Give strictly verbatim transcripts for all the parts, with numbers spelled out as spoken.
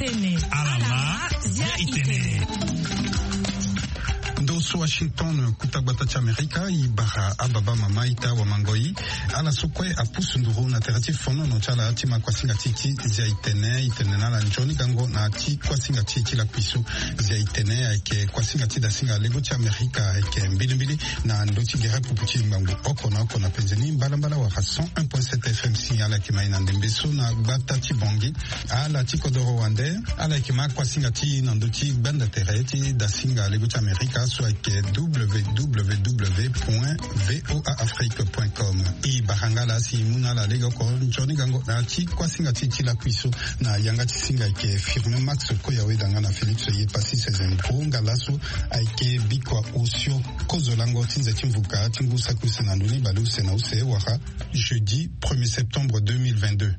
Tene. Ala ma, zia itene. Ndo so Washington, kuta gbata ti Amerika, i bara ababa mama ita wa mangoi. Ala so kue apusu nduru na tere ti fonono ti ala ti ma kuasinga ti ti zia itene, itene na ala nzoni gango na ti kuasinga ti ti lakui so. Zia itene ayeke kuasinga ti dasinga lego ti Amerika ayeke mbilimbili na ndo ti gere pupu ti ngbangbo oko na oko na penze ni mbalambala wala cent un point sept F M si ala yeke mai na ndembe so na gbata ti Bangui. Ala ti kodoro wande, ala yeke ma kuasinga ti na ndo ti gbanda tere ti dasinga lego ti Amerika so ayeke W W W point V O A Afrique point com. I bara nga laa si i mu na ala lege oko nzoni gango na ti kuasinga ti ti lakui so. Na yanga ti singa ayeke Firmin Max Koyawe danga na Félix Yepassi Sezembro nga laso ayeke bikua osio kozo lango ti nze ti mvuka ti ngu saki use na ndoni bale use na use wala jeudi premier septembre deux mille vingt-deux.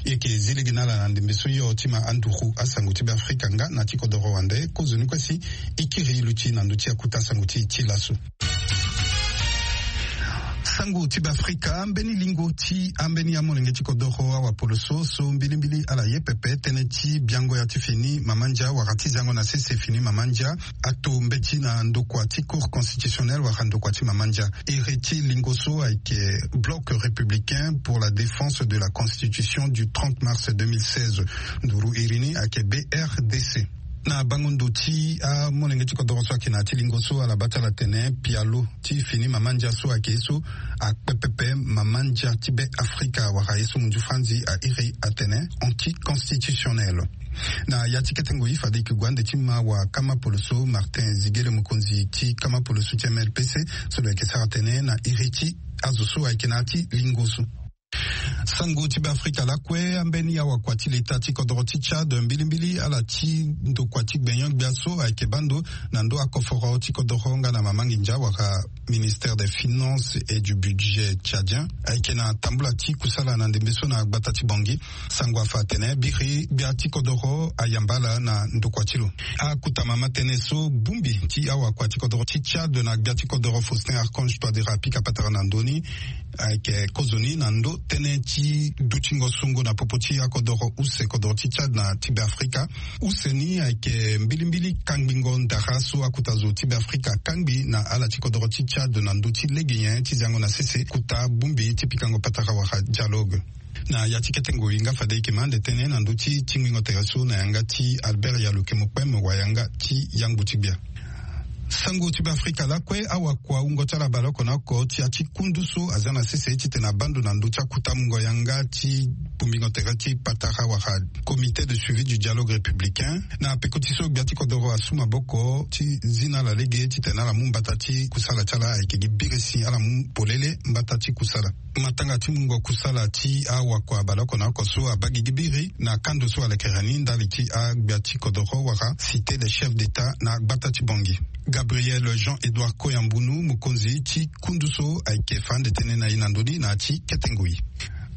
E yeke zi lege na ala na ndembe so yo ti ma anduru asango ti Beafrika nga na ti kodoro wande kozoni kue si e kiri luti na ndö ti akuta sango ti ti laso. Sango ti Beafrika, ambeni lingo ti ambeni amolenge ti kodoro awapoloso so mbilimbili ala ye pepe tënë ti biango ya ti fini mama ndia wala ti zango na sese fini mama ndia ato mbeti na ndokua ti Cour constitutionnelle wala ndokua ti mama ndia. Iri ti lingo so ayeke Bloc républicain pour la défense de la constitution du trente mars deux mille seize. Nduru iri ni ayeke B R D C. Na bango ndo ti amolenge ti kodoro so ayeke na ya ti lingo so ala baa ti ala tene pialo ti fini mama ndia so ayeke ye so akpe pepe mama ndia ti Be Afrika wala ye so munzu franzi airi atene anticonstitutionnel. Na ya ti kete ngoi fade e yeke gue ande ti ma wa kama poloso Martin Ziguele, mokonzi ti kama poloso ti M L P C, so lo yeke sara tene na iri ti azo so ayeke na ya ti lingo so. Sango ti Beafrika lakue, ambeni awakua ti leta ti kodoro ti Tchad mbilimbili ala ti ndokua ti gbenyo-gbia so ayeke baa ndo na ndo akoforo ti kodoro nga na mama nginza wala ministère des finances et du budget tchadien ayeke na tambula ti kusala na ndembe so na gbata ti Bangui. Sango afa atene biri gbia ti kodoro ayamba ala na ndokua ti lo. Akuta mama tënë so bongbi ti awakua ti kodoro ti Tchad na gbia ti kodoro Faustin Archange Touadéra apika patara na ndö ni ayeke kozoni na ndo tënë ti dutingo songo na popo ti akodoro use kodoro ti Tchad na ti Beafrika. Use ni ayeke mbilimbili kangbingo ndara so akuta zo ti Beafrika akangbi na ala ti kodoro ti Tchad na ndö ti lege nyen ti zango na sese kota bongbi ti pikango patara wala dialogue. Na ya ti kete ngoi nga fade e yeke ma ande tënë na ndö ti tingbingo tere so na yanga ti Albert Yalukemo Kpem wa yanga ti yangbu ti gbia. Sango ti Beafrika lakue, awakua wungo ti ala baleoko na oko ti ya ti kundu so aza na sese titene abaa ndo na ndö ti akuta mungo yanga ti bongbingo tere ti patara wala comité de suivi du dialogue républicain. Na peko ti so gbia ti kodoro asu maboko ti zi na ala lege titene ala mu mbata ti kusala ti ala ayeke gi biri si ala mu polele mbata ti kusala. Matanga ti mungo kusala ti awakua baleoko na oko so abaa gigi biri na kando so alekere ni ndali ti agbia ti kodoro wala cité des chefs d'état na gbata ti Bangui. Gabriel Jean-Edouard Koyambunu, mokonzi ti kundu so, ayeke fa ande tënë na e na ndö ni na ya ti kete ngoi.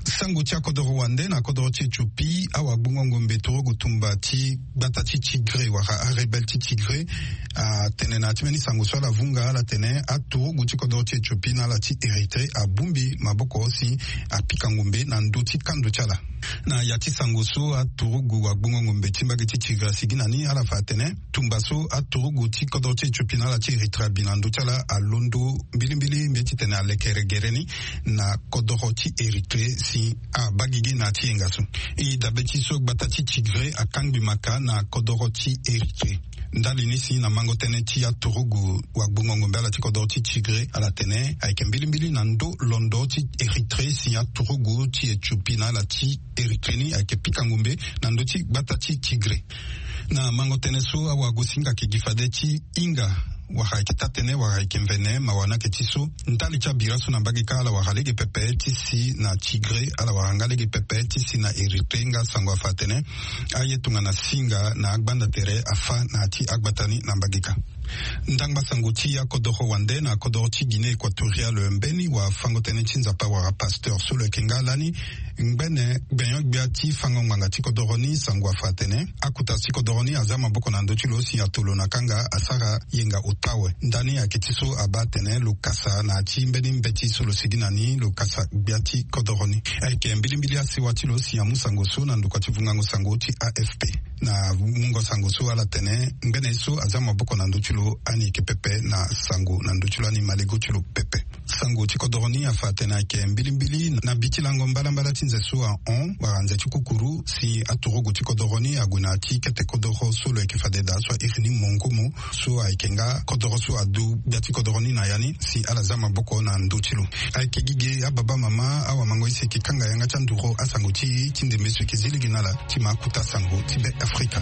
Sango ti akodoro wande, na kodoro ti Éthiopie, awagbongo ngombe turugu tumba ti gbata ti Tigré wala arebelle ti Tigré atene na ya ti mbeni sango so ala vunga ala tene aturugu ti kodoro ti Éthiopie na ala ti Érythrée abongbi maboko si apika ngombe na ndö ti kando ti ala. Na ya ti sango so aturugu wagbongo ngombe ti mbage ti Tigré asigi na ni ala fa atene tumba so aturugu ti kodoro ti Éthiopie na ala ti Érythrée abi na ndö ti ala alondo mbilimbili mbi ye titene alekere gere ni na kodoro ti Érythrée si abaa gigi na ya ti yenga so. E dabe ti so gbata ti Tigré akangbi maka na kodoro ti Érythrée. Ndali ni si na mango tënë ti aturugu wagbongo ngombe ala ti kodoro ti Tigré ala tene ayeke mbilimbili na ndö londo ti Érythrée si aturugu ti Éthiopie na ala ti Érythrée ni ayeke pika ngombe na ndö ti gbata ti Tigré. Na mango tënë so awagosinga ayeke gi fade ti hinga wala ayeke taa-tënë wala ayeke mvene mawa ni ayeke ti so ndali ti abira so na mbage kâ ala wara lege pepe ti si na Tigré, ala wara nga lege pepe ti si na Érythrée nga sango afa atene aye tongana singa na agbanda tere afa na ya ti agbata ni na mbage kâ. Ndangba sango ti akodoro wande, na kodoro ti Guinée équatoriale mbeni wafango tënë ti Nzapa wala pasteur so lo yeke nga lani Ngbene gbenyo-gbia ti fango ngbanga ti kodoro ni sango afa atene akuta ti kodoro ni aza maboko na ndö ti lo si atolo na kanga asara yenga ota awe. Ndani ayeke ti so abaa atene lo kasa na ya ti mbeni mbeti so lo sigi na ni lo kasa gbia ti kodoro ni. Ayeke mbilimbili asewa ti lo si amu sango so na ndokua ti vungango sango ti A F P. Na mungo sango so ala tene ngbene ye so aza maboko na ndö ti lo ani yeke pepe na sango na ndö ti lo ani malego ti lo pepe. Sango ti kodoro ni afa atene ayeke mbilimbili na bi ti lango mbalambala ti nze so ahon wala nze ti kukuru si aturugu ti kodoro ni ague na ya ti kete kodoro so lo yeke fade daa so airi ni mongumu so ayeke nga kodoro so adu gbia ti kodoro ni na ya ni si ala za maboko na ndö ti lo. Ayeke gi ge ababa mama awamango ye si eke kanga yanga ti anduru asango ti e ti ndembe so eke zi lege na ala ti ma akuta sango ti be Afrika.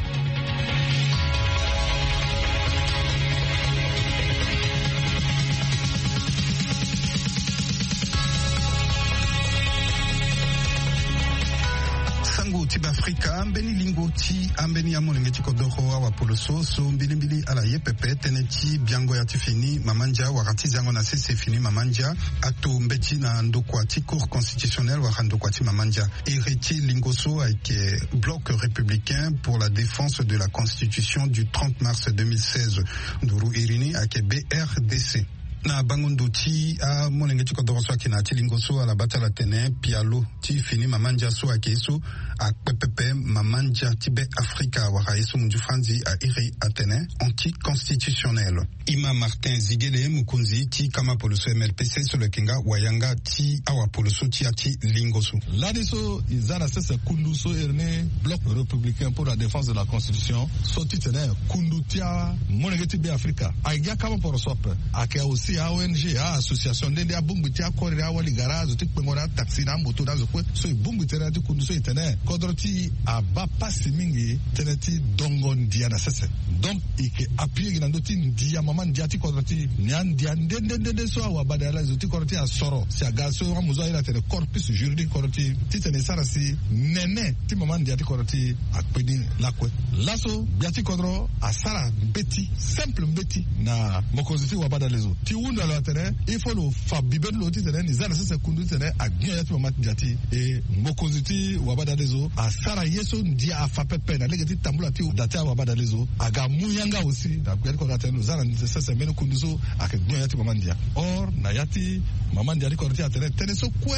Sango ti be Afrika, mbeni lingo ti ambeni amolenge ti kodoro awapoloso so mbilimbili ala ye pepe tënë ti biango ya ti fini mama ndia wala ti zango na sese fini mama ndia ato mbeti na ndokua ti Cour constitutionnelle wala ndokua ti mama ndia. Iri ti lingo so ayeke Bloc républicain pour la défense de la constitution du trente mars deux mille seize. Nduru iri ni ayeke B R D C. Na bango ndo ti amolenge ti kodoro so ayeke na ya ti lingo so ala baa ti ala tene pialo ti fini mama ndia so ayeke ye so akpe pepe mama ndia ti be Afrika wala ye so munzu franzi airi atene anticonstitutionnel. Ima Martin Ziguele, mokonzi ti kama poloso M L P C so lo yeke nga wayanga ti awapoloso ti ya ti lingo so. Lani so e za na sese kundu so iri ni Bloc républicain pour la défense de la constitution so ti tene kundu ti amolenge ti be Afrika ayeke gi akama poroso ape. Ayeke aussi a-O N G, a-association nde nde abongbi ti akore awali gara azo ti kpengo na ataxi na amoto na azo kue so e bongbi tënë na ya ti kundu so e tene kodro ti e abaa pasi mingi tënë ti dongo ndia na sese. Donc e yeke appuyer gi na ndö ti ndia mama ndia ti kodro ti e. Ni andia nde nde nde nde so awabadalezo ti kodro ti e asoro si aga so amu zo airi atene corpus juridique kodro ti e titene e sara si nene ti mama ndia ti kodro ti e akpe ni lakue. Laso gbia ti kodro asara mbeti, simple mbeti na mokonzi ti wabadalezo ti hundu na lo atene il faut lo fa bibe ti lo titene ni za na sese kundu titene agbia ya ti mama ndia ti e. E mokonzi ti wabadalezo asara ye so ndia afa pepe na lege ti tambula ti da ti awabadalezo aga amu yanga aussi na gbia ti kodro atene lo za na sese mbeni kundu so ayeke gbia ya ti mama ndia. Or na ya ti mama ndia ti kodro ti e atene tënë so kue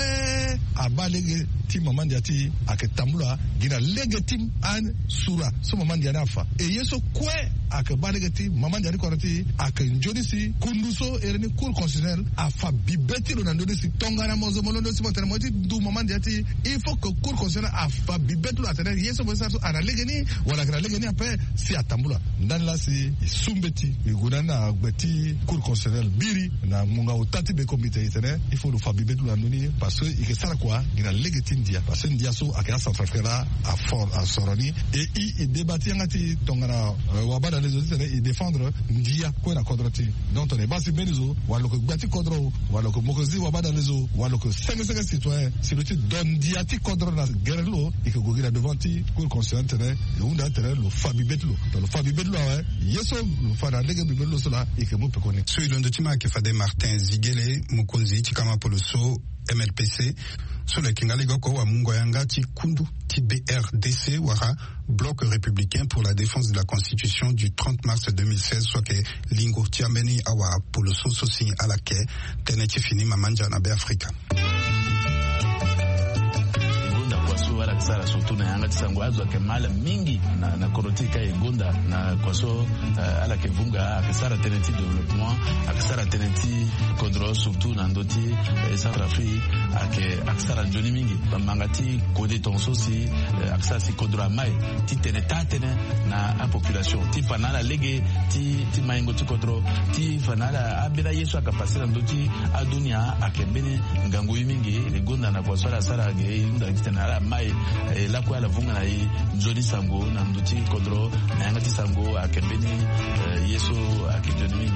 abaa lege ti mama ndia ti e ayeke tambula gi na lege ti asura so mama ndia ni afa. E ye so kue ayeke baa lege ti mama ndia ti kodro ti e ayeke nzoni si kundu so iri ni Cour constitutionnelle afa bibe ti lo na ndö ni si tongana mo zo mo londo si mo tene mo ye ti du mama ndia ti e, il faut que Cour constitutionnelle afa bibe ti lo atene ye so mo ye sara so ana lege ni wala ayeke na lege ni ape si atambula. Ndani laa si e su mbeti e gue na ni na gbe ti Cour constitutionnelle biri na ngonga ota ti be comité e tene il faut lo fa bibe ti lo na ndö ni parce que e yeke sara kua gi na lege ti ndia parce que ndia so ayeke acentrafricain laa afort asoro ni. E i e débat ti yanga ti tongana wabadalezo titene e défendre ndia kue na kodro ti e. Donc tongana e baa si mbeni zo wala lo yeke gbia ti kodro wala lo yeke mokonzi ti wabadalezo wala lo yeke senge senge citoyen si lo ti do ndia ti kodro na gere ti lo e yeke gue gi na devant ti Cour constitutionnelle titene e hunda titene lo fa bibe ti lo. Tongana lo fa bibe ti lo awe ye so lo fa na lege bibe ti lo so laa e yeke mu pekoni. So e londo ti ma ayeke fade Martin Ziguele, mokonzi ti kama poloso M L P C so lo yeke nga lege oko wamungo yanga ti kundu ti B R D C wala Bloc républicain pour la défense de la constitution du trente mars deux mille seize so ayeke lingo ti ambeni awapoloso so si ala yeke tënë ti fini mama ndia na be Afrika. E gonda kua so ala yeke sara surtout na yanga ti sango azo ayeke ma ala mingi na, na kodro ti e ka e gonda na kua so, eh, ala yeke vunga ayeke sara tënë ti développement, ayeke sara tënë ti kodro surtout na ndö ti, eh, Centrafrique ayeke, ayeke sara nzoni mingi. Bamanga ti kode tongaso si, eh, ayeke sara si kodro amai titene taa tënë na apopulation ti fa na ala lege ti, ti maingo ti kodro ti fa na ala ambeni aye so ayeke pase na ndö ti adunia ayeke mbeni ngangu ye mingi. E gonda na kua so ala sara ge e hunda titene ala mai, eh, lakue ala vunga na e nzoni sango na ndö ti kodro na yanga ti sango ayeke mbeni, eh, ye so ayeke nzoni mingi.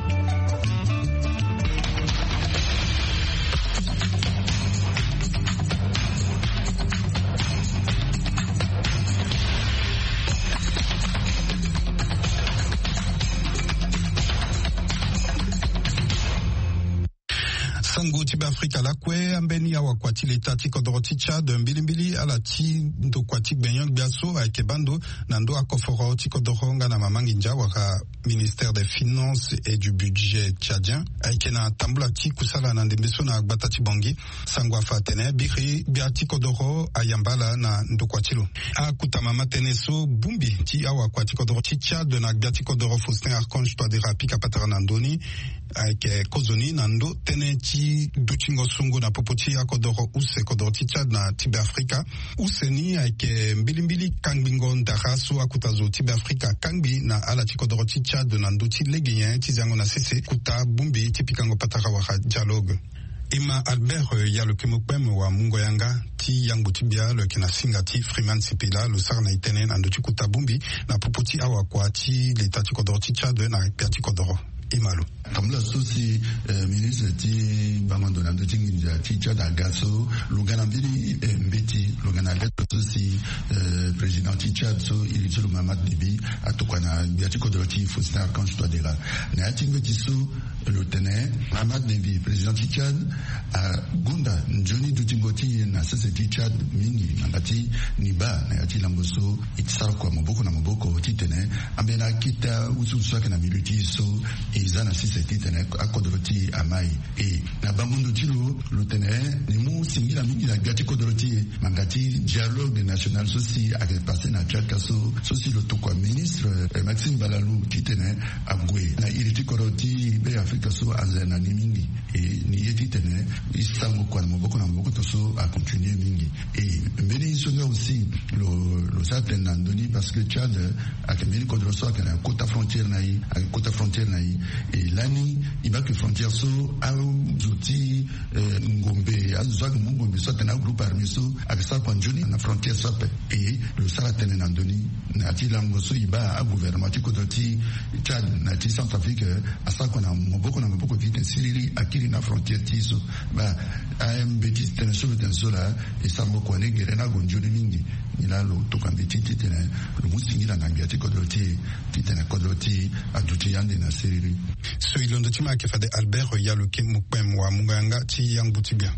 Sango ti Beafrika lakue, ambeni awakua ti leta ti kodoro ti Tchad mbilimbili ala ti ndokua ti gbenyo-gbia so ayeke baa ndo na ndö akoforo ti kodoro nga na mama nginza wala Ministère des Finances et du Budget tchadien ayeke na tambula ti kusala na ndembe so na gbata ti Bangui. Sango afa atene biri gbia ti kodoro ayamba ala na ndokua ti lo. Akuta mama tënë so bongbi ti awakua ti kodoro ti Tchad na gbia ti kodoro Faustin Archange Touadéra apika patara na ndö ni ayeke kozoni na ndö tënë ti dutingo songo na popo ti akodoro use kodoro ti Tchad na ti Beafrika. Use ni ayeke mbilimbili kangbingo ndara so akuta zo ti Beafrika akangbi na ala ti kodoro ti Tchad na ndö ti lege nyen ti zango na sese kuta bongbi ti pikango patara wala dialogue. E ma Albert, eh, ya lo yeke mu kpeme wa mungo yanga ti yangbo ti bia lo yeke na singa ti Freeman Sipila, lo sara na e tënë na ndö ti kuta bongbi na popo ti awakua ti leta ti kodoro ti Tchad na gbia ti kodoro. E ma lo. Tambula so si, eh, ministre ti bango ndo na ndö ti nginza ti Tchad aga so, lo ga na mbeni, eh, mbeti, lo ga na lettre so si, eh, président ti Tchad so iri ti lo Mahamat Déby atokua na gbia ti kodoro ti Faustin Archange Touadéra. Na ya ti mbeti so, lo tene Mahamat Déby, président ti Tchad, agonda nzoni dutingo ti e na sese ti Tchad mingi, na yanga ti ni baa na ya ti lango so e sara kua maboko na maboko titene ambeni akete ahusu so ayeke na milieu ti e so e za na sese titene akodoro ti e amai. E na bango ndo ti lo, lo tene ni mu singila mingi na gbia ti kodoro ti e, na yanga ti dialogue national so si ayeke passé na Tchad ka so, so si lo tokua ministre, eh, Maxime Balalou titene ague na iri ti kodoro ti Beafrika so anze na ni mingi. E ni ye titene e sango kua na maboko na maboko tongaso acontinue mingi. E mbeni so nga aussi lo, lo sara tene na ndö ni parce que Tchad ayeke mbeni kodro so ayeke na kota frontière na e, ayeke kota frontière na e. E lani e baa ke frontière so azo ti, eh, ngombe, azo so ayeke mu ngombe so atene agroupe armé so ayeke sara kua nzoni na frontière so ape. E lo sara tënë na ndö ni na ya ti lango so e baa agouvernement ti kodro ti Tchad na ya ti Centrafrique, eh, asara kua na maboko na maboko titene siriri akiri na frontière ti e so. Baa, eh, mbeti tënë so lo tene so laa, e sara maboko ane gere ni ague nzoni mingi. Nilaa lo tokua mbeti titene lo mu singila na gbia ti kodro ti e titene kodro ti e aduti ande na siriri. So e londo ti ma ayeke fade Albert ya lo yeke mu kpeme wa mungo yanga ti yangbo ti bia.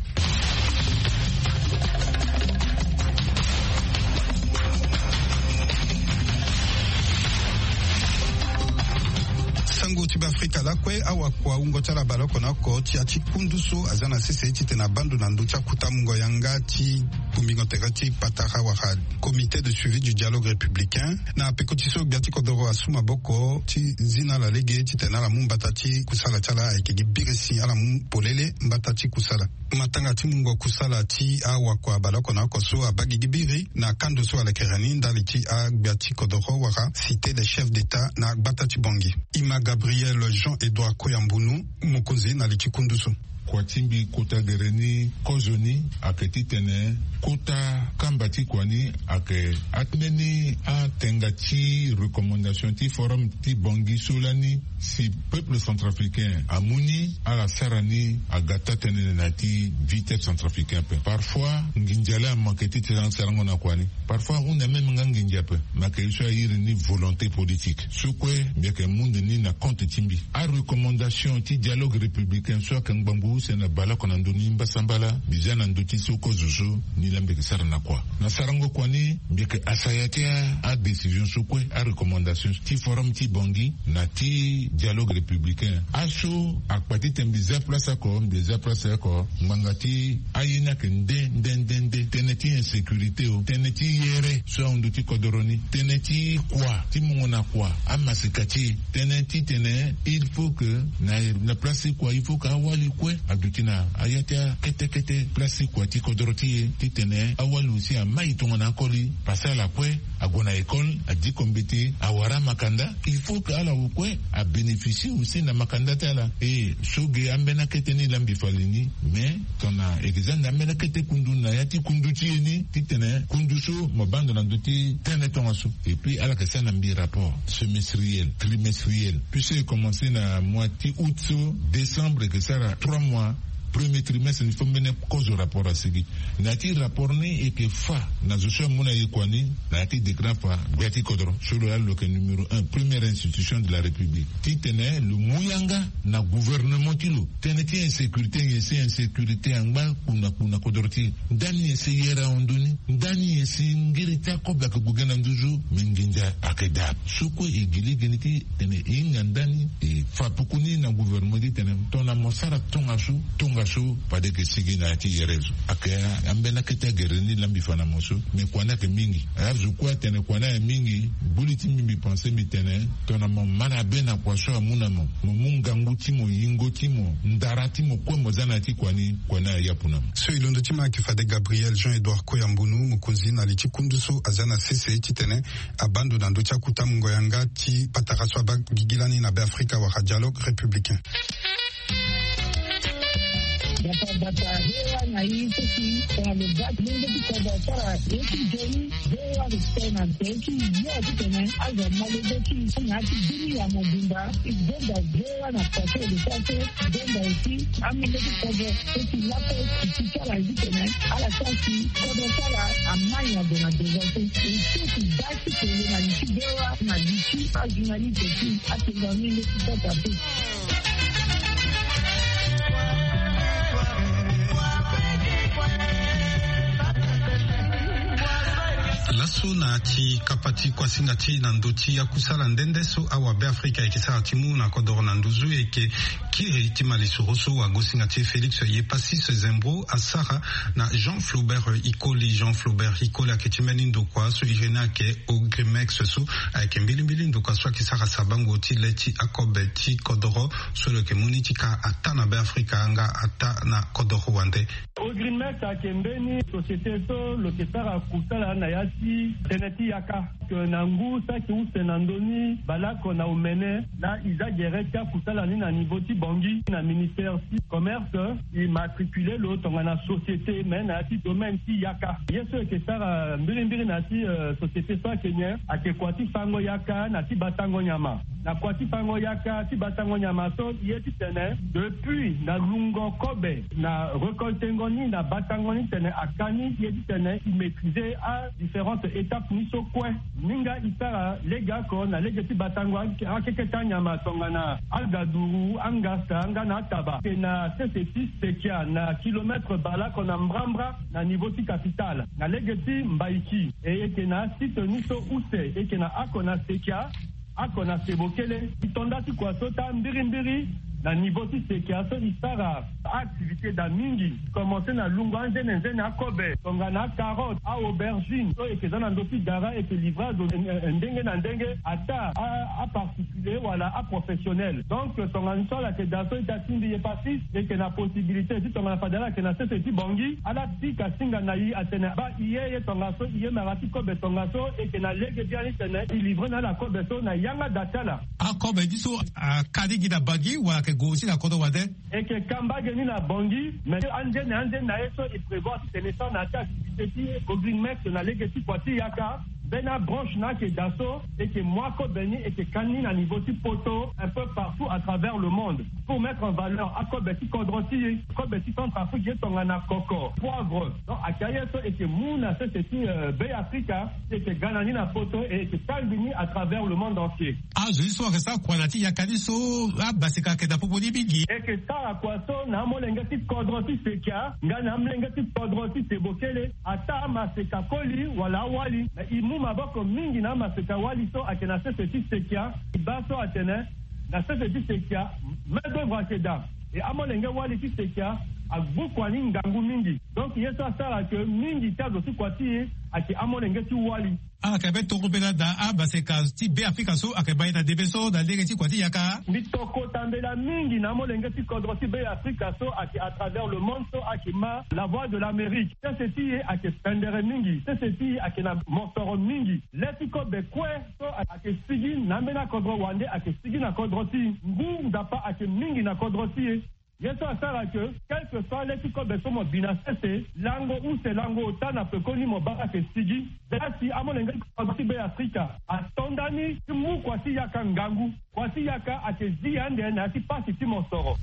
Sango ti Beafrika lakue, awakua wungo ti ala baleoko na oko ti ya ti kundu so aza na sese titene abaa ndo na ndö ti akuta mungo yanga ti bongbingo tere ti patara wala Comité de suivi du dialogue républicain. Na peko ti so gbia ti kodoro asu maboko ti zi na ala lege titene ala mu mbata ti kusala ti ala ayeke gi birisi, ala mu polele mbata ti kusala. Matanga ti mungo kusala ti awakua baleoko na oko so abaa gigi biri na kando so alekere ni ndali ti agbia ti kodoro wala Cité des chefs d'État na gbata ti Bangui. E ma Gabriel Jean-Edouard Koyambunu, mokonzi na li ti kundu so. Kua ti mbi kota gere ni kozoni ayeke titene kota kamba ti kua ni ayeke ambeni atenga ti recommandation ti Forum ti Bangui so lani si peuple centrafricain amu ni, ala sara ni, aga taa tënë na ya ti vie ti centrafricain ape. Parfois nginza laa amanke titene asarango na kua ni. Parfois ahunda même nga nginza ape. Me ayeke ye so airi ni volonté politique. So kue mbi yeke mu ndo ni na compte ti mbi. Arecommandation ti dialogue républicain so ayeke ngbangbo use na baleoko na ndö ni mbasambala, mbi za na ndö ti so kozo so ni laa mbi yeke sara na kua. Na sarango kua ni, mbi yeke asaya ti a, adécision so kue, arecommandation ti Forum ti Bangui na ti dialogue républicain. Aso akpa titene mbi za place oko, mbi za place oko, ngbanga ti aye ni ayeke nde nde nde nde. Tënë ti insécurité o, tënë ti yere so ahundu ti kodoro ni, tënë ti kua ti mungo na kua, amasika ti e, tënë titene il faut que na, na place ti kua il faut que awali kue aduti na ya ti akete kete place ti kua ti kodoro ti e, titene awali aussi amai tongana akoli. Parce que ala kue ague na école, adiko mbeti, awara amakanda. Il faut que ala kue abénéficier aussi na makanda ti ala. E so ge ambeni akete ni laa mbi fa li ni. Mais tongana e ke za na ambeni akete kundu na ya ti kundu ti e ni, titene kundu so mo baa ndo na ndö ti tënë tongaso. Et puis ala yeke sara na mbi rapport semestriel, trimestriel. Puis so e commencer na mois ti août so, décembre e ke sara trois mois. Premier trimestre ni fo mbene kozo rapport asigi. Na ya ti rapport ni e yeke fa na zo so amu na ye kua ni. Na ya ti décret afa, gbia ti kodro so lo laa lo yeke numéro un, première institution de la République, titene lo mu yanga na gouvernement ti lo. Tënë ti insécurité nyen si insécurité angba kpuna kpuna kodro ti e. Ndani nyen si yere ahon ndoni? Ndani nyen si ngiri ti akobe ayeke gue ge na nduzu? Me nginza ayeke daa. So kue e gi lege ni ti tene e hinga ndani e fa puku ni na gouvernement ti tene tongana mo sara tongaso, tongaso fade e yeke sigi na ya ti yere zo. Ayeke ambeni akete agere ni lambi fa na mo so. Me kua ni ayeke mingi. Azo kue atene kua ni aye mingi. Gbu li ti mbi, mbi pense mbi tene tongana mo ma na be na kua so amu na mo, mo mu ngangu ti mo, yingo ti mo, ndara ti mo kue mo za na ya ti kua ni, kua ni aye apu na mo. So e londo ti ma ayeke fade Gabriel Jean Edouard Koyambunu, mokonzi na li ti kundu so aza na sese titene abaa ndo na ndö ti akuta mungo yanga ti patara so abaa gigi lani na Beafrika wala dialogue républicain. Bata bata, V O A na i seki tongana lo baa ti lenge ti kodro asara ye ti nzoni. V O A respect na nzoni ti yo titene azo ama lege ti na ya ti dini ya mobimba. I zonza V O A na kua so e lo sara so. Zonza aussi amenge ti kodro so ti lape ti sara ye titene ala sara si kodro so ala ama nyango na besoin so. E so ti baa ti kele na li ti V O A na li ti ajournaliste ti atonga mingi ti kota pe. Laso na ti kapa ti kuasinga ti e na ndö ti akusala nde nde so awabeafrika ayeke sara ti mu na kodoro na nduzu, e yeke kiri ti malisoro so wagosinga ti e Félix Yepacis Zembro asara na Jean Flaubert Ikoli. Jean Flaubert Ikoli ayeke ti mbeni ndokua so iri ni ayeke Ogrimex so ayeke mbilimbili ndokua so ayeke sara sabango ti le ti akobe ti kodoro so lo yeke mu ni ti ka ataa na Beafrika nga ataa na kodoro wande. Ogrimex ayeke mbeni société so lo yeke sara kusala na ya ti tënë ti yaka. Ke na ngu so ayeke use na ndö ni baleoko na omene, laa e za gere ti akusala ni na niveau ti Bangui na ministère ti commerce, e matricule lo tongana société, me na ya ti domaine ti yaka. Ye so e yeke sara mbirimbiri na ya ti, euh, société so ayeke nyen? Ayeke kua ti fango yaka na ti batango nyama. Na kua ti fango yaka ti batango nyama so, ye titene depuis na lungo kobe na récoltengo ni na batango ni titene aka ni, ye titene e maîtriser a différentes étapes ni so kue. Minga e sara legeoko na lege ti batango akeketa nyama tongana agaduru, angasa nga na ataba. E na sese ti Sekia na kilomètre baleoko na mbrambra na niveau ti capitale. Na lege ti Mbaiki, e yeke na asite ni so use, e yeke na oko na Sekia, oko na Sebokele. E to nda ti kua so taa mbirimbiri na niveau ti Sekia so e sara activité daa mingi. Commencer na lungo anzenenzene akobe tongana acarotte, a-aubergine so e yeke za na ndö ti gara, e yeke livrer azo, eh, eh, ndenge na ndenge, ataa a, aparticulier wala aprofessionnel. Donc tongana so ala yeke daa so ita ti mbi Yepacis, e yeke na possibilité ti tongana fade ala yeke na sese ti Bangui, ala pika singa na e atene baa e ye, ye tongaso e ye mara ti kobe tongaso, e yeke na lege biani titene e livrer na ala kobe so na yanga daa ti ala. Akobe ni so aka ni gi na Bangui wala ayeke gue aussi na kodro wande? E yeke ka mbage ni na Bangui, mais anzene anzene na ye so e prévoir titene e sara na ya ti activité ti Ogrimex na lege ti kua ti yaka, mbeni abranche ni ayeke daa so, e yeke mu akobe ni, e yeke ka ni na niveau ti poto, un peu partout à travers le monde, pour mettre en valeur akobe ti kodro ti e, kobe ti Centrafrique, ye tongana koko, poivre. Donc ayeke aye so e yeke mu na sese ti, euh, Beafrika, e yeke ga na ni na poto, e yeke kangbi ni à travers le monde entier. Azo ni so ayeke sara kua na ya ti yaka ni so, abaseka ayeke daa popo ni mingi. E yeke sara kua so na amolenge ti kodro ti Sekia nga na amolenge ti kodro ti Sebokele, ataa amaseka koli wala awali. Na e mu maboko mingi na amaseka wali so ayeke na sese ti Sekia. E baa so atene na sese ti Sekia main d'œuvre ayeke daa. E amolenge wali ti Sekia agbu kua ni ngangu mingi. Donc ye so asara ke mingi ti azo ti kua ti e ayeke amolenge ti wali. Ala yeke mbeni tokua mbela daa amaseka ti Beafrika so ayeke ma e na ndembe so na lege ti kua ti yaka. Mbi tokota mbela mingi na amolenge ti kodro ti Beafrika so ayeke à travers le monde so ayeke ma La Voix de l'Amérique. Sese ti e ayeke pendere mingi. Sese ti e ayeke na mosoro mingi. Le ti kobe kue so ayeke sigi na ambeni akodro wande ayeke sigi na kodro ti e. Ngu Nzapa ayeke mingi na kodro ti e. Ye so asara ke, quel que soit le ti kobe so mo bi na sese, lango use lango ota na pekoni mo baa ayeke sigi. Zia si amolenge ti kodro ti Beafrika ato ndani ti mu kua ti yaka ngangu. Kua ti yaka ayeke zi ande na ya ti pasi ti mosoro.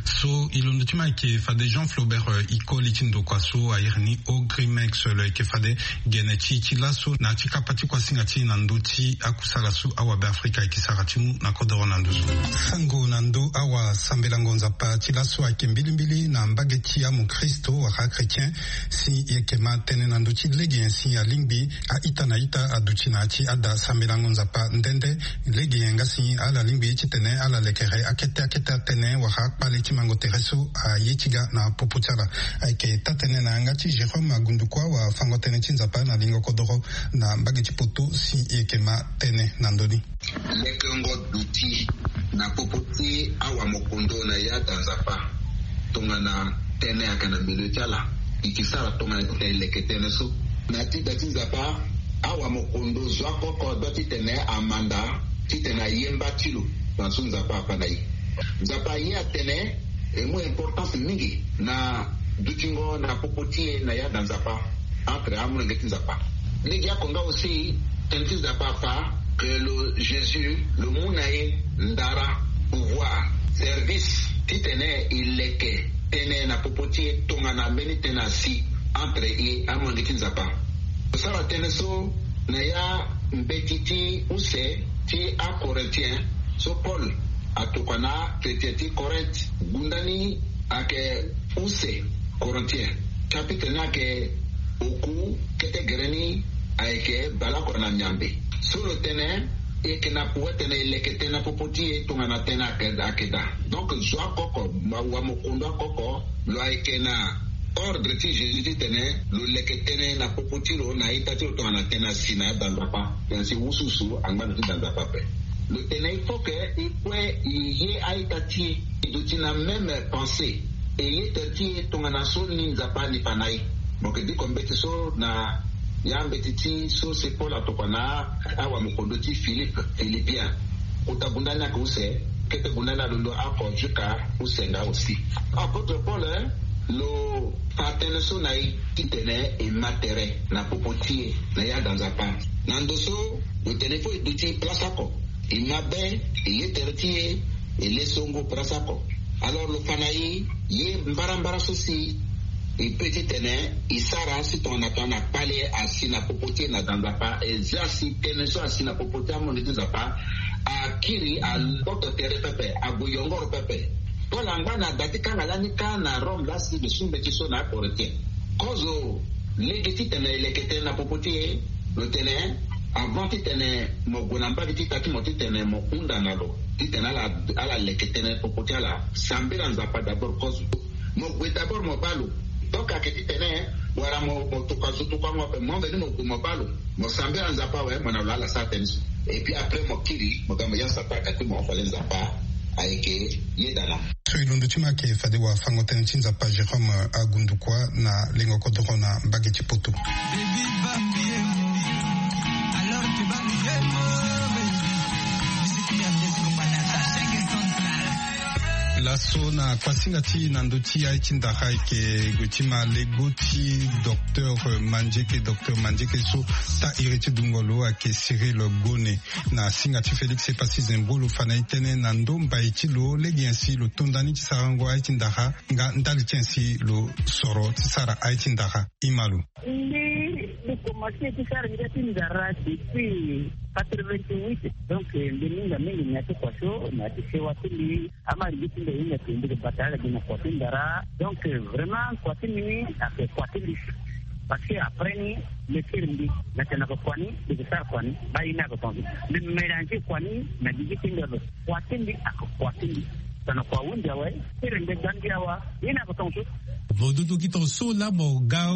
So e londo ti ma ayeke fade Jean Flaubert, eh, e koli ti ndokua so a iri ni Ogrimex, lo yeke fade gene ti e ti laso na ya ti kapa ti kuasinga ti e na ndö ti akusala so awabe Afrika ayeke sara ti mu na kodoro na nduzu. Sango na ndö awasambelango Nzapa ti laso ayeke mbilimbili na mbage ti amokristo wala chrétien. Si e yeke ma tënë na ndö ti lege nyen si alingbi a-ita na ita aduti na ya ti ada sambelango Nzapa nde nde. Lege nyen nga si ala lingbi titene ala lekere akete akete atënë wala akpale ti mango tere so aye ti ga na popo ti ala? Ayeke taa-tënë na yanga ti Jérôme Agundukua, wafango-tënë ti Nzapa na lingo kodoro na mbage ti poto, si e yeke ma tënë na ndö ni. Lekengo duti na popo ti awamokondo na ya da Nzapa tongana tënë ayeke na milieu ti ala. E ke sara tongana titene e leke tënë so. Na ti da ti Nzapa, awamokondo zo oko oko adua titene amanda titene aye mba ti lo. Na so Nzapa afa na e. Nzapa aye atene e mu importance mingi na dutingo na popo ti e na ya da Nzapa, entre amolenge ti Nzapa. Lege oko nga aussi, tënë ti Nzapa afa que lo Jésus lo mu na e ndara, pouvoir, service titene e leke tënë na popo ti e tongana mbeni tënë asi entre e amolenge ti Nzapa. Lo sara tënë so na ya mbeti ti use ti aCorinthiens so Paul atokua na achrétien ti Corinthe. Gunda ni ayeke use, Corinthiens. Chapitre ni ayeke oku, kete gere ni ayeke baleoko na miambe. So lo tene e yeke na pouvoir titene e leke tënë na popo ti e tongana tënë ayeke, ayeke daa. Donc zo oko oko, ma wamokondo oko oko, lo ayeke na ordre ti Jésus titene lo leke tënë na popo ti lo na a-ita ti lo tongana tënë asi na ya da Nzapa. Tënë asi wusuwusu angba na ti da Nzapa ape. Lo tene il faut que e kue e ye a-ita ti e, e duti na même pensée, e ye tere ti e tongana so ni Nzapa ni fa na e. Mo yeke diko mbeti so na ya mbeti ti so si Paul atokua na awamokondo ti Philippe, Philippiens. Kota gunda ni ayeke use, kete gunda ni alondo oko jusqu'à use nga aussi. Apôtre Paul, eh, lo fa tënë so na e titene e ma tere na popo ti e na ya da Nzapa. Na ndo so lo tene fo e duti place oko, e ma be, e ye tere ti e, e le songo place oko. Alors lo fa na e ye mbarambara so si e peut titene e sara si tongana tongana kpale asi na popo ti e na da Nzapa, e zia si tënë so asi na popo ti amolenge ti Nzapa akiri, agboto tere pepe, ague yongoro pepe. Paul angba na da ti kanga lani kâ na Rome laa si lo su mbeti so na aCorinthiens. Kozo lege titene e leke tënë na popo ti e, lo tene, avant titene mo gue na mbage ti ita ti mo titene mo hunda na lo titene ala, ala leke tënë popo ti ala, sambela Nzapa d'abord kozo. Mo gue d'abord mo baa lo. Donc ayeke titene wala mo, mo tokua zo tokuango ape, mo veni mo gue mo baa lo, mo sambela Nzapa awe, mo na lo ala sara tënë so. Et puis après mo kiri, mo ga mo ya Nzapa ayeke ti mo, fade Nzapa ayeke yeda na mo. So e londo ti mo ayeke fade wafango-tënë ti Nzapa Jérôme Agundukua na lengo kodoro na mbage ti Poto. Laso na kuasinga ti e na ndö ti aye ti ndara ayeke gue ti ma lego ti docteur Mandieke, docteur Mandieke so taa iri ti dungo lo ayeke Cyril Gone. Na singa ti Félix Epassi Zembro lo fa na e tënë na ndo mbai ti lo, lege nyen si lo to nda ni ti sarango aye ti ndara, nga ndali ti nyen si lo soro ti sara aye ti ndara. E ma lo. Mbi, mbi komanse ti sara ngia ti ndara depuis quatre-vingt-huit. Donc, eh, mbi minga mingi na ya ti kua so, na ya ti sewa ti mbi. Ama mbi ti mbi hinga ti mbi bata ala gi na kua ti ndara. Donc, eh, vraiment, kua ti mbi ni ayeke kua ti mbi. Parce que après ni, mbi kiri mbi na tene na kua ni, mbi yeke sara kua ni, baa ye ni ayeke tongaso. Mbi mélanger kua ni na gigi ti mbi ape. Kua ti mbi ayeke kua ti mbi. Tongana kua ahunzi awe, kiri mbi ga mbi awa, ye ni ayeke tongaso. Mo dutu gi tongaso laa mo ga,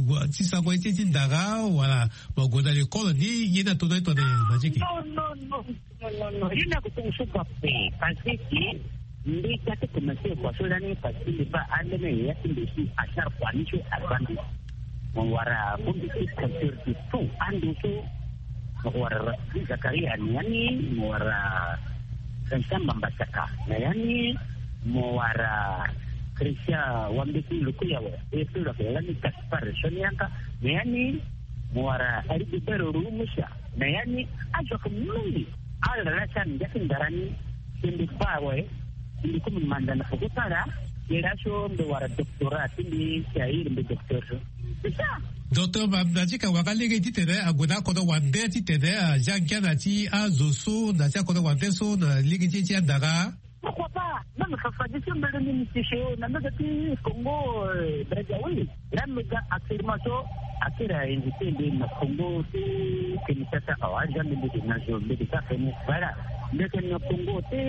wa, ti sarango ye ti ndara, wala mo gue na lekole ni, ye ni ato na ye tongana Mandieke? Non, non, non, non, non, non. Ye ni ayeke tongaso kua ape. Parce que mbi ga ti komanse kua so lani, parce que mbi baa ambeni yaya ti mbi si asara kua ni so aza mbi. Mo wara bongbi ti compteur de tout ando so. Mo wara Rafiki Zakaria na ya ni, mo wara Vincent Mbamba Saka na ya ni, mo wara Christian Wambeti Lukuyawa, e so lo yeke lani Gaspard Sonianka na ya ni, mo wara Rigobert Rumusa na ya ni. Azo ayeke mingi. Ala laa ti ala na ngia ti ndara ni. Si mbi baa awe, Mbi komi manda na poko sara. Mbi la so mbi wara doctorat ti mbi, si airi mbi docteur so. C'est ça. Docteur, ma, na ti ka wanga lege titene ague na akodro wande titene azia ngia na ti azo so na ti akodro wande so na lege ti e ti andara. Pourquoi pas? Même Fafa de so mbele ni mbi ti so na mbege ti Congo, euh, Brazzaville. Là, mbi ga actuellement so akiri a invité mbi na Congo ti Kinshasa, awa, aza mbi mbi na zo mbi ga fene. Voilà. Mbi yeke na Congo ti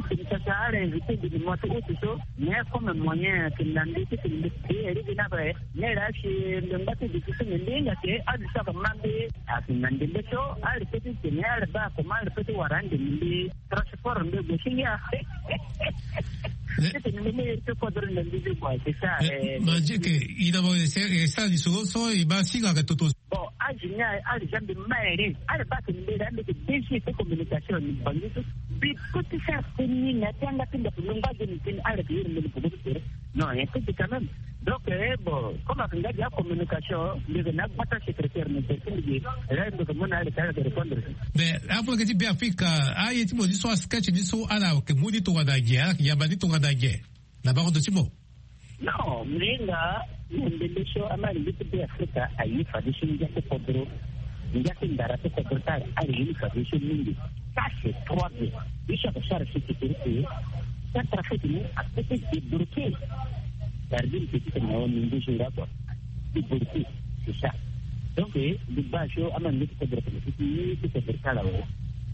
Kinshasa, ala invité mbi na mois ti août so. Mais comme moyen ayeke na mbi ti tene mbi ti iri gi na ape. Mais là, si mbi ngba ti duti so mbi hinga ke azo so ayeke ma mbi ayeke na ndembe so, ala répété ti tene ala baa comment ala répété ti wara ande mbi. Transport nde gue si ngia. Titene mbi me iri ti kodro na mbi ti gue, c'est ça. Mais, eh, ma, eh, je que, i na mo, c'est, c'est ça, lisoro so, i baa si nga ke toto. Bon, âge ni aye, âge ni mbi ma iri. Ala baa ti mbi la, mbi ti B G ti communication ni bangi so. Mbi peut ti faire ti ni na ti anga ti ndako mbi ngba ge ni ti ni, ala ti iri mbi ni poko ti tere. Non, un peu quand même. Donc, eh, bon, comme ayeke nga gi acommunication, mbi yeke na agbata secrétaire ni, mbi yeke, eh, mbi yeke mu na ala ti ala yeke répondre. Mais apo leke ti Beafrika, aye ti mo ni so, asketch ni so, ala yeke mu ni tongana nyen, ala yeke yamba ni tongana nyen na bango ndo ti mo? Non, mbi hinga na ndembe so, ama ndembe ti Beafrika aye fadeso ngia ti kodro. Ngia ti ndara ti kodro ti ala, ala ye ni fadeso mingi. Ça, c'est trois B. Ye so ayeke sara sécurité, centrafrique ni apeut ti débloquer. Gardien petit na ni nduzu nga quoi. Débloquer, c'est ça. Donc, eh, mbi baa so ama ndembe ti kodro, ti kodro ti ala awe.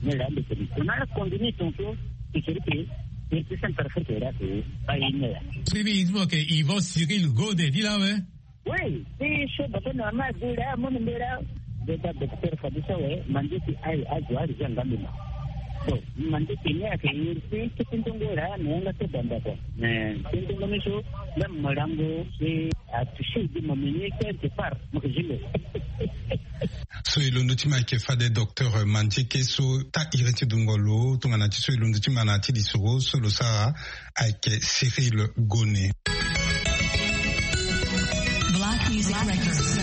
Ni laa mbi tene. On a continué ton show, sécurité, et puis centrafrique là, c'est pas une heure. Sini, il dit que Yvan Cyril Godé, dit là, ouais. Oui, ti so bata na ma di la, mo ni mbela. Beta docteur fadeso awe, mande ti aye azo ala zia ngambi ma. Bon, mande ti ni ayeke iri ti kete ndongo la, na yanga ti banda quoi. Mais kete ndongo ni so, même molango, c'est à toucher de mon menu quelque part, mo ke zile. So e londo ti ma ayeke fade docteur Mandieke so taa iri ti dungo lo, tongana ti so e londo ti ma na ya ti lisoro so lo sara, ayeke Cyril Gone. Black Music Records.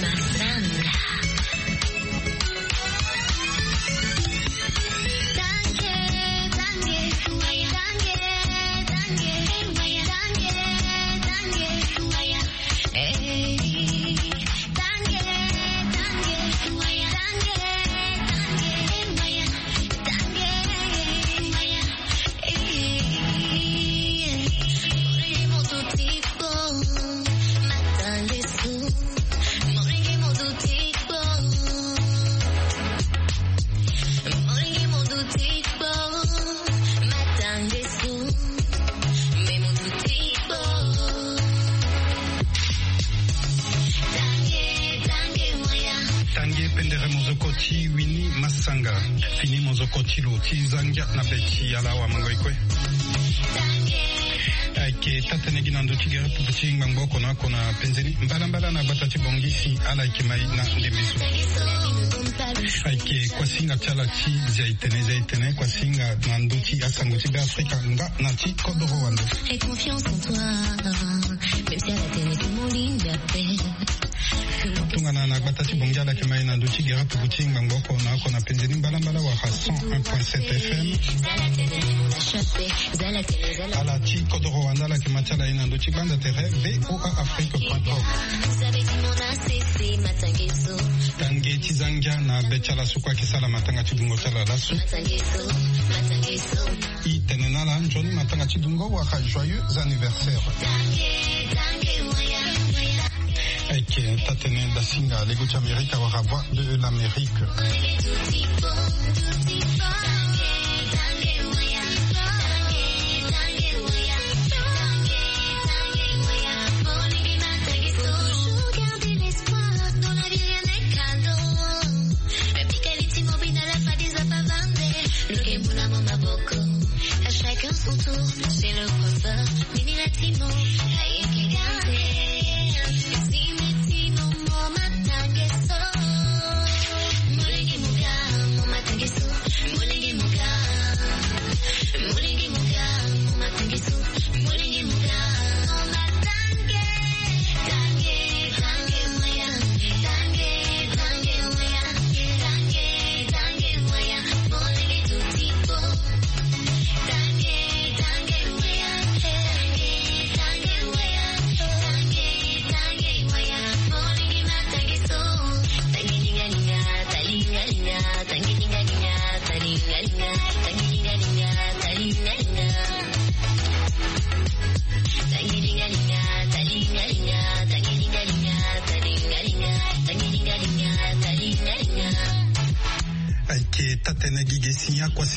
Tange pendere mozoko ti Winnie Massanga. Fini mozoko ti lo ti za ngia na be ti ala awamango e kue. Ayeke taa-tënë gi na ndö ti gere pupu ti ngbangbo oko na oko na penze ni mbalambala na gbata ti Bangui si ala yeke ma e na ndembe so. Ayeke kuasinga ti ala ti zia e tene, zia e tene, kuasinga na ndö ti asango ti Beafrika nga na ti kodoro wande. Tongana na gbata ti Bangui ala yeke ma e na ndö ti gere pupu ti ngbangbo oko na oko na penze ni mbalambala wala cent un point sept F M. Ala ti kodoro wande ala yeke ma ti ala e na ndö ti gbanda tere V O A Afrique point com. Tange ti za ngia na be ti ala so kue ayeke sara matanga ti dungo ti ala laso. E tene na ala nzoni matanga ti dungo wala joyeux anniversaire. Ayeke taa-tënë dasinga lego ti Amerika wala Voix de l'Amérique. Ayeke taa-tënë gi ge si akuâ si